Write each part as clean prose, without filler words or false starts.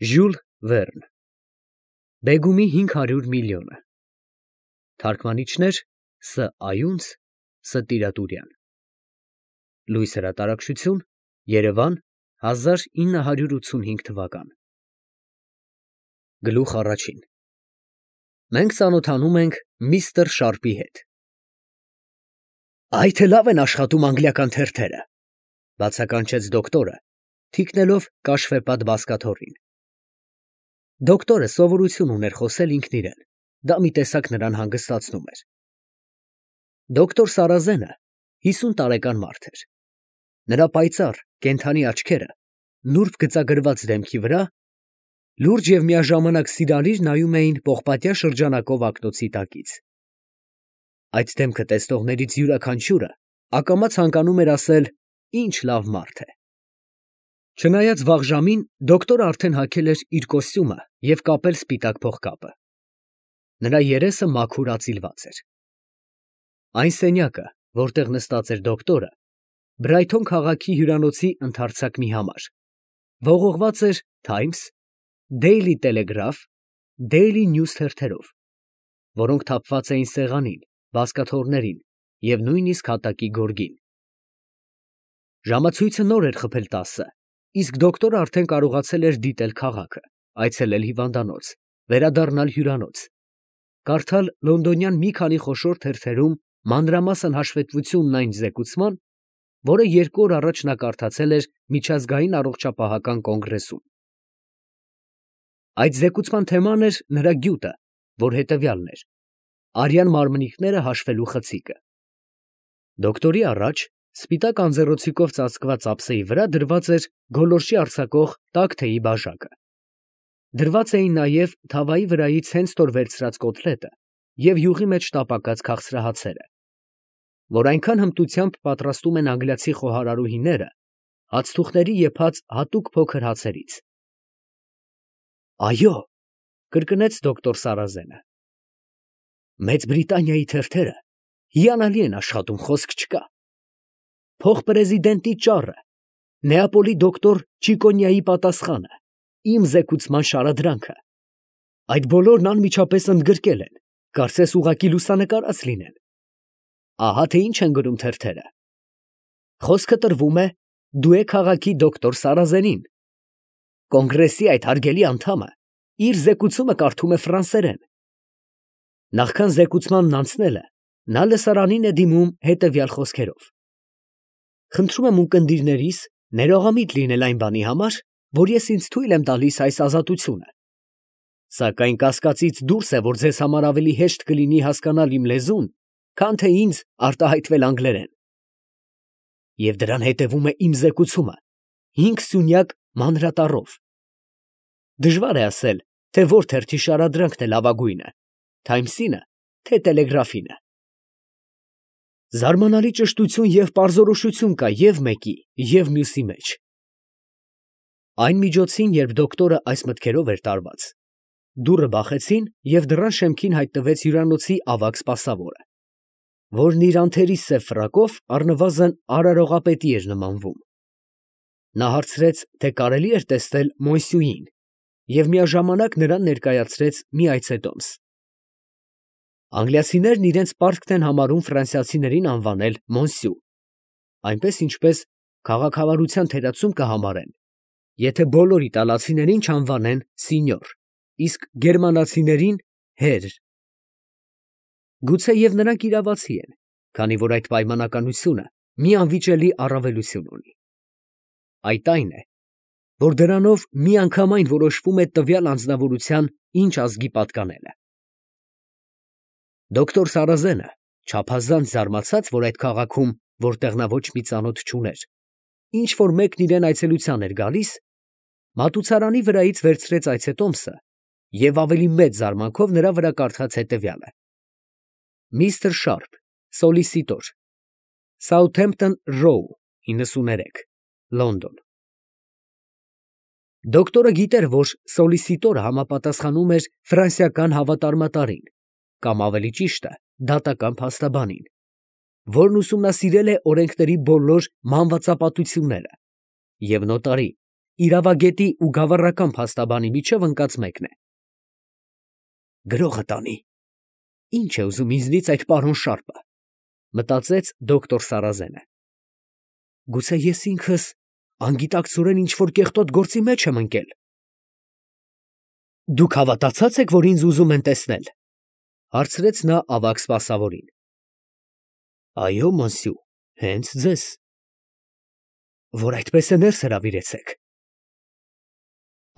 Ժյուլ Վերն Բեգումի 500 միլիոնը Թարգմանիչներ Ս. Այունց Ս. Տիրատուրյան Լույս հրատարակչություն Երևան 1985 թվական Գլուխ առաջին Մենք ծանոթանում ենք միստր Շարպի հետ։ Այ թե լավ են աշխատում անգլիական թերթերը, բացականչեց դոկտորը, թիկնելով կաշվեպատ բազկաթոռին։ Դոկտորը սովորություն ուներ խոսել ինքն իրեն, դա մի տեսակ նրան հանգստացնում էր։ Դոկտոր Սարազենը 50 տարեկան մարդ էր։ Նրա պայծառ, կենդանի աչքերը, նուրբ գծագրված դեմքի վրա, լուրջ և միաժամանակ սիրալիր նայում էին պողպատյա շրջանակով ակնոցի տակից։ Այդ դեմքը տեսնողներից յուրաքանչյուրը ակամա ցանկանում էր ասել. «Ինչ լավ մարդ է»։ Չնայած վաղ ժամին դոկտորը արդեն հագել էր իր կոստյումը և կապել սպիտակ փողկապը։ Նրա երեսը մաքուր ածիլված էր։ Այն սենյակը, որտեղ նստած էր դոկտորը, Բրայթոն քաղաքի հյուրանոցի ընդարձակ մի համար, ողողված էր Times, Daily Telegraph, Daily News թերթերով, որոնք թափված էին սեղանին, բազկաթոռներին և նույնիսկ հատակի գորգին։ Ժամացույցը նոր էր խփել 10, իսկ դոկտորը արդեն կարողացել էր դիտել քաղաքը, այցելել հիվանդանոց, վերադառնալ հյուրանոց, կարդալ լոնդոնյան մի քանի խոշոր թերթերում մանրամասն հաշվետվությունն այն զեկուցման, որը 2 օր առաջ նա կարդացել էր Միջազգային առողջապահական կոնգրեսում։ Այդ զեկուցման թեման էր նրա գյուտը, որ հետևյալն էր. արյան մարմնիկները հաշվելու խցիկը։ Դոկտորի առաջ, սպիտակ անձեռոցիկով ծածկված ափսեի վրա դրված էր գոլորշի արձակող տաք թեյի բաժակը։ Դրված էին նաև թավայի վրայից հենց նոր վերցրած կոտլետը և յուղի մեջ տապակած քաղցրահացերը, որ այնքան հմտությամբ պատրաստում են անգլիացի խոհարարուհիները հացթուղթների եփած հատուկ փոքր հացերից։ Այո, կրկնեց դոկտոր Սարազենը։ Մեծ Բրիտանիայի թերթերը հիանալի են աշխատում, խոսք չկա։ Փոխպրեզիդենտի ճառը, Նեապոլի դոկտոր Չիկոնյայի պատասխանը, իմ զեկուցման շարադրանքը, այդ բոլորն անմիջապես ընդգրկել են, կարծես ուղղակի լուսանկարած լինեն։ Ահա թե ինչ են գրում թերթերը։ Խոսքը տրվում է դու եք քաղաքի դոկտոր Սարազենին։ Կոնգրեսի այդ հարգելի անդամը իր զեկուցումը կարդում է ֆրանսերեն։ Նախքան զեկուցմանն անցնելը, նա լսարանին է դիմում հետևյալ խոսքերով. Խնդրում եմ ունկնդիրներիս ներողամիտ լինել այն բանի համար, որ ես ինձ թույլ եմ տալիս այս ազատությունը։ Սակայն կասկածից դուրս է, որ ձեզ համար ավելի հեշտ կլինի հասկանալ իմ լեզուն, քան թե ինձ արտահայտվել անգլերեն։ Եվ դրան հետևում է իմ զեկուցումը 5 սյունյակ մանրատառով։ Դժվար է ասել, թե որ թերթի շարադրանքն է լավագույնը, Թայմսինը, թե Տելեգրաֆինը։ Զարմանալի ճշտություն և պարզորոշություն կա և մեկի, և մյուսի մեջ։ Այն միջոցին, երբ դոկտորը այս մտքերով էր տարված, դուռը բախեցին և դռան շեմքին հայտնվեց հյուրանոցի ավագ սպասավորը, որն իր անթերի սև ֆրակով առնվազն արարողապետի էր նմանվում։ Նա հարցրեց, թե կարելի էր տեսնել Մոնսյուին և միաժամանակ նրան ներկայացրեց մի այցետոմս։ Անգլիացիներն իրենց պարտքն են համարում ֆրանսիացիներին անվանել Մոնսյու, այնպես ինչպես քաղաքավարության թերացում կհամարեն, եթե բոլոր իտալացիներին չանվանեն Սինյոր, իսկ գերմանացիներին հեր։ Գուցեև նրանք իրավացի են, քանի որ այդ պայմանականությունը մի անվիճելի առավելություն ունի։ Այդ այն է, որ դրանով միանգամայն որոշվում է տվյալ անձնավորության ինչ ազգի պատկանելը։ Դոկտոր Սարազենը, չափազանց զարմացած, որ այդ քաղաքում, որտեղ նա ոչ մի ծանոթ չուներ, ինչ որ մեկն իրան այցելության էր գալիս, մատուցարանի վրայից վերցրեց այցետոմսը և ավելի մեծ զարմանքով նրա վրա կարդաց հետևյալը. Միսթր Շարպ, սոլիսիտոր, Սաութհեմփթոն Ռոու 93, Լոնդոն։ Դոկտորը գիտեր, որ սոլիսիտորը համապատասխանում էր ֆրանսիական հավատարմատարին, կամ ավելի ճիշտը, դատական փաստաբանին, որն ուսումնասիրել է օրենքների բոլոր մանրվածապատությունները, և նոտարի, իրավագետի ու գավառական փաստաբանի միջև ընկած մեկն է։ Գրողը տանի։ Ինչ է ուզում ինձնից այդ պարոն Շարպը, մտածեց դոկտոր Սարազենը։ Գուցե ես ինքս անգիտակցորեն ինչ-որ կեղտոտ գործի մեջ եմ ընկել։ Դուք հավատացած եք, որ ինձ ուզում են տեսնել, հարցրեց նա ավագ սպասավորին։ Այո, մոնսյու, հենց ձեզ։ Որ այդպես է ներս հրավիրեցեք։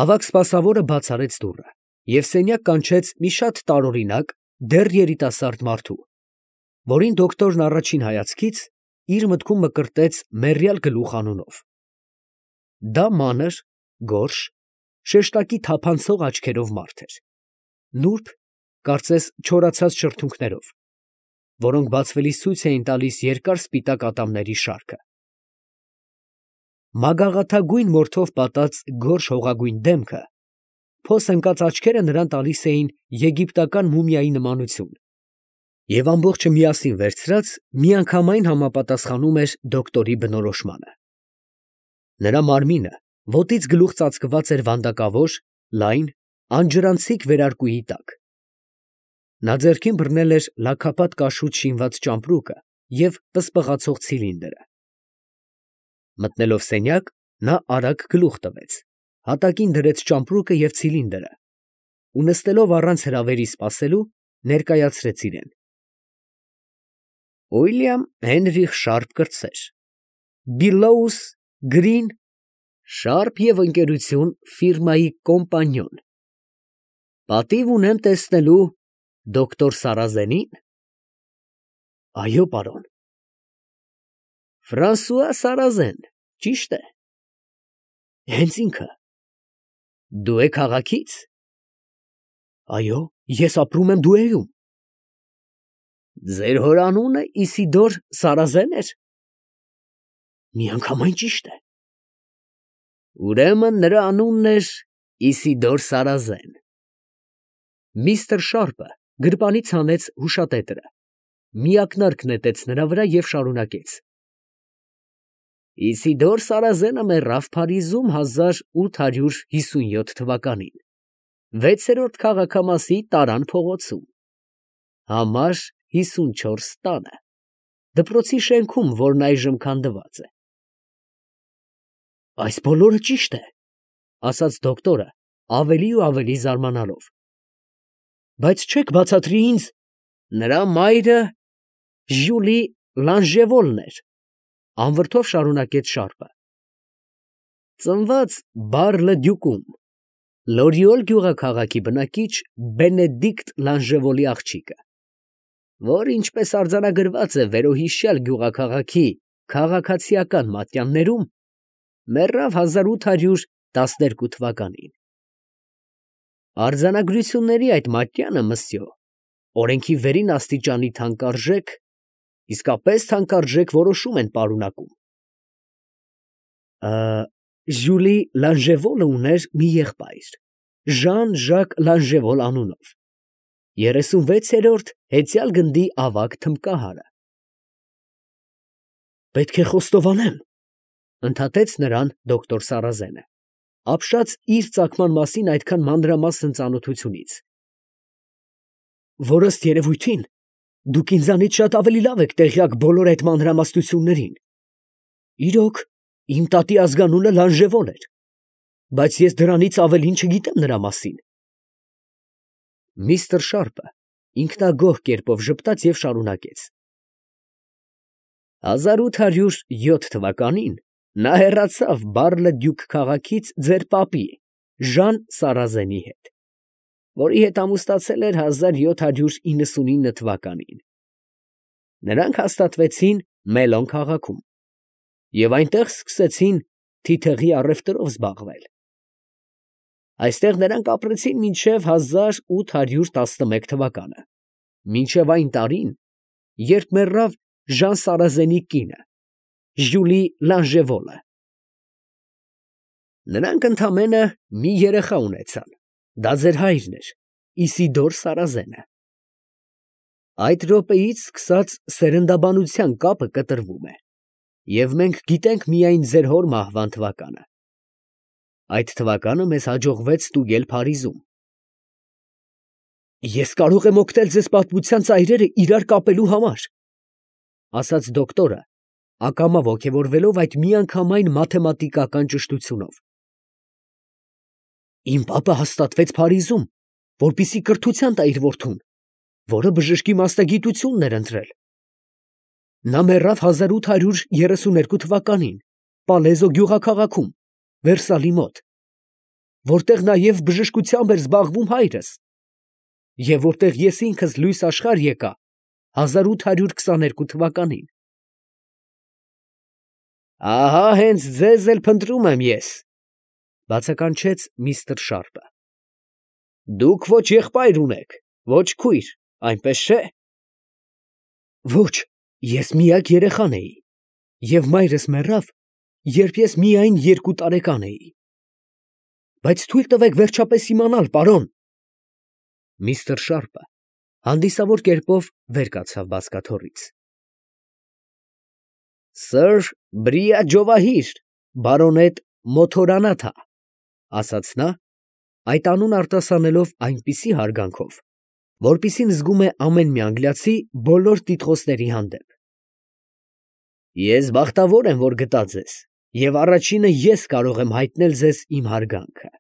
Ավագ սպասավորը բաց արեց դուռը և սենյակ կանչեց մի շատ տարօրինակ, դեռ երիտասարդ մարդու, որին դոկտորն առաջին հայացքից իր մտքում մկրտեց մեռյալ գլուխ անունով։ Դա մանր, գորշ, շեշտակի թափանցող աչքերով մարդ էր, նուրբ, կարծես չորացած շրթունքներով, որոնք բացվելիս ցույց էին տալիս երկար սպիտակ ատամների շարքը։ Մագաղաթագույն մորթով պատած գորշ հողագույն դեմքը, փոս ընկած աչքերը նրան տալիս էին եգիպտական մումիայի նմանություն, և ամբողջը միասին վերցրած միանգամայն համապատասխանում էր դոկտորի բնորոշմանը։ Նրա մարմինը ոտից գլուխ ծածկված էր վանդակավոր, լայն, անջրանցիկ վերարկուի տակ։ Նա ձեռքին բռնել էր լաքապատ կաշուտ շինված ճամպրուկը և պսպղացող ցիլինդրը։ Մտնելով սենյակ, նա արագ գլուխ տվեց, հատակին դրեց ճամպրուկը և ցիլինդրը ու նստելով առանց հրավերի սպասելու, ներկայացրեց իրեն։ Ուիլյամ Հենրիխ Շարպ կրտսեր, Բիլլոուս Գրին, Շարպ և ընկերություն ֆիրմայի կոմպանիոն։ Պատիվ ունեմ տեսնելու դոկտոր Սարազենի՞ն։ Այո, պարոն։ Ֆրանսուଆ Սարազեն, ճիշտ է։ Հենց ինքը։ Դու եք քաղաքից։ Այո, ես ապրում եմ Դուեում։ Ձեր հոր անունը Իսիդոր Սարազեն էր։ Միանգամայն ճիշտ է։ Ուրեմն նրա անունն էր Իսիդոր Սարազեն։ Միստր Շարպը գրպանից հանեց հուշատետրը, մի ակնարկ նետեց նրա վրա և շարունակեց. Իսիդոր Սարազենը մեռավ Փարիզում 1857 թվականին, 6-րդ քաղաքամասի Տարան փողոցում, համար 54 տանը, դպրոցի շենքում, որն այժմ քանդված է։ Այս բոլորը ճիշտ է, ասաց դոկտորը, ավելի ու ավելի զարմանալով։ Բայց չեք բացատրի ինձ. նրա մայրը Ժյուլի Լանժևոլն էր, անվրդով շարունակեց Շարպը։ Ծնված Բար֊լը-Դյուկում, Լորիոլ գյուղաքաղաքի բնակիչ Բենեդիկտ Լանժևոլի աղջիկը, որ ինչպես արձանագրված է վերոհիշյալ գյուղաքաղաքի քաղաքացիական մատյաններում, մեռավ 1812 թվականին։ Արձանագրությունների այդ մատյանը, մսյո, օրենքի վերին աստիճանի թանկարժեք, իսկապես թանկարժեք որոշում են պարունակում։ Ժյուլի Լանժևոլը ուներ մի եղբայր, Ժան Ժակ Լանժևոլ անունով, 36-րդ հեծյալ գնդի ավագ թմբկահարը։ Պետք է խոստովանեմ, ընդհատեց նրան դոկտոր Սարազենը, ապշած իր ծագման մասին այդքան մանրամասն ծանոթությունից, որ ըստ երևույթին դուք ինձանից շատ ավելի լավ եք տեղյակ բոլոր այդ մանրամասնություններին։ Իրոք, իմ տատի ազգանունը Լանժևոլ էր, բայց ես դրանից ավելին չգիտեմ նրա մասին։ Միստր Շարպը ինքնագոհ կերպով ժպտաց և շարունակեց. 1807 թվականին նա հեռացավ Բար֊լը-Դյուկ քաղաքից ձեր պապի Ժան Սարազենի հետ, որի հետ ամուսնացել էր 1799 թվականին։ Նրանք հաստատվեցին Մելոն քաղաքում և այնտեղ սկսեցին թիթեղի առևտրով զբաղվել։ Այստեղ նրանք ապրեցին մինչև 1811 թվականը, մինչև այն տարին, երբ մեռավ Ժան Սարազենի կինը, Ժյուլի Լանժևոլը։ Նրանք ընդամենը մի երեխա ունեցան, դա ձեր հայրն էր, Իսիդոր Սարազենը։ Այդ րոպեից սկսած սերնդաբանության կապը կտրվում է, և մենք գիտենք միայն ձեր հոր մահվան թվականը։ Այդ թվականը մեզ հաջողվեց ստուգել Փարիզում։ Ես կարող եմ օգնել ձեզ պատմության ծայրերը իրար կապելու համար, ասաց դոկտորը, ակամա ոգևորվելով այդ միանգամայն մաթեմատիկական ճշտությունով։ Իմ պապը հաստատվեց Փարիզում, որպեսզի կրթության տա իր որդուն, որը բժշկի մասնագիտությունն էր ընտրել։ Նա մեռավ 1832 թվականին Պալեզո գյուղաքաղաքում, Վերսալի մոտ, որտեղ նաև բժշկությամբ էր զբաղվում հայրս, և որտեղ ես ինքս լույս աշխարհ եկա 1822 թվականին։ Ահա հենց ձեզ էլ փնտրում եմ ես, բացականչեց միստր Շարպը։ Դուք ոչ եղբայր ունեք, ոչ քույր, այնպես չէ։ Ոչ, ես միակ երեխան էի, և մայրս մեռավ, երբ ես միայն 2 տարեկան էի։ Բայց թույլ տվեք վերջապես իմանալ, պարոն։ Միստր Շարպը հանդիսավոր կերպով վեր կացավ բազկաթոռից։ Սըր Բրիաջովահիր, բարոնետ Մոթորանաթա, ասաց նա, այդ անուն արտասանելով այնպիսի հարգանքով, որպիսին զգում է ամեն մի անգլիացի բոլոր տիտղոսների հանդեպ։ Ես բախտավոր եմ, որ գտա ձեզ, և առաջինը ես կարող եմ հայտնել ձեզ իմ հարգանքը։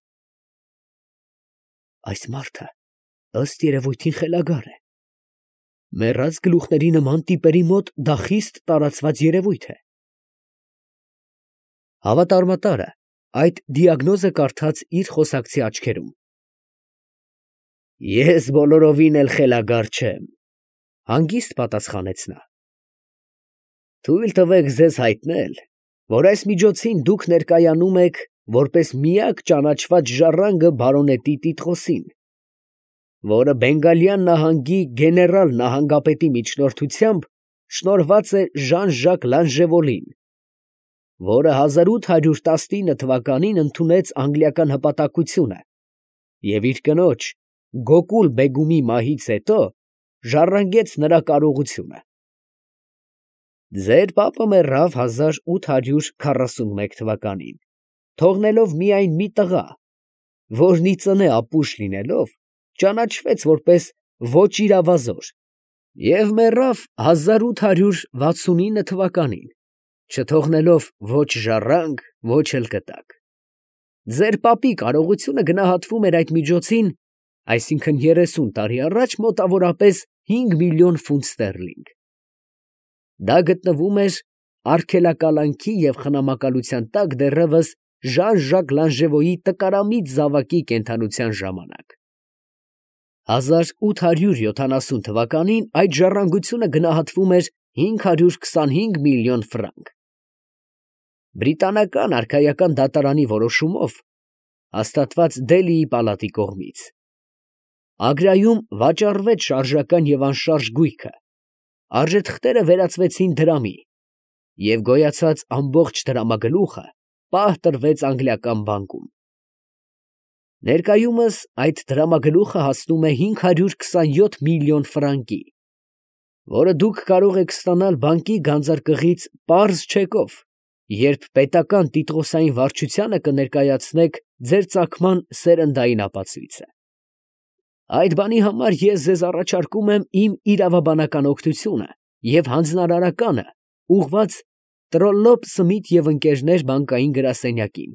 Այս մարդը ըստ երևույթին խելագար է։ Մեռած գլուխների նման տիպերի մոտ դա խիստ տարածված երևույթ է։ Հավատարմատարը այդ դիագնոզը կարդաց իր խոսակցի աչքերում։ Ես բոլորովին էլ խելագար չեմ, հանգիստ պատասխանեց նա։ Թույլ տվեք ձեզ հայտնել, որ այս միջոցին դուք ներկայանում եք որպես միակ ճանաչված ժառանգը բարոնետի տիտղոսին, որը Բենգալյան նահանգի գեներալ նահանգապետի միջնորդությամբ շնորհված է Ժան-Ժակ Լանժևոլին, որը 1819 թվականին ընդունեց անգլիական հպատակությունը և իր կնոջ Գոկուլ բեգումի մահից հետո ժառանգեց նրա կարողությունը։ Ձեր պապը մեռավ 1841 թվականին, թողնելով միայն մի տղա, որն ի ծնե ապուշ լինելով, ճանաչվեց որպես ոչ իրավազոր և մեռավ 1869 թվականին, չթողնելով ոչ ժառանգ, ոչ էլ կտակ։ Ձեր պապի կարողությունը գնահատվում էր այդ միջոցին, այսինքն 30 տարի առաջ, մոտավորապես 5 միլիոն ֆունտ ստերլինգ։ Դա գտնվում էր արգելակալանքի և խնամակալության տակ դեռևս Ժան-Ժակ Լանժևոյի տկարամիտ զավակի կենդանության ժամանակ։ 1870 թվականին այդ ժառանգությունը գնահատվում էր 525 միլիոն ֆրանկ։ Բրիտանական արքայական դատարանի որոշումով, հաստատված Դելիի պալատի կողմից, Ագրայում վաճառվեց շարժական և անշարժ գույքը, արժեթղթերը վերածվեցին դրամի, և գոյացած ամբողջ դրամագլուխը պահ տրվեց անգլիական բանկում։ Ներկայումս այդ դրամագլուխը հասնում է 527 միլիոն ֆրանկի, որը դուք կարող եք ստանալ բանկի գանձարկղից պարզ չեկով, երբ պետական տիտղոսային վարչությանը կներկայացնեք ձեր ծագման սերնդային ապացույցը։ Այդ բանի համար ես ձեզ առաջարկում եմ իմ իրավաբանական օգնությունը և հանձնարարականը ուղղված Տրոլլոպ, Սմիթ և ընկերներ բանկային գրասենյակին,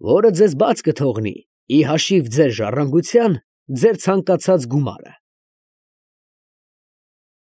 որը ձեզ բաց կթողնի ի հաշիվ ձեր ժառանգության ձեր ցանկացած գումարը։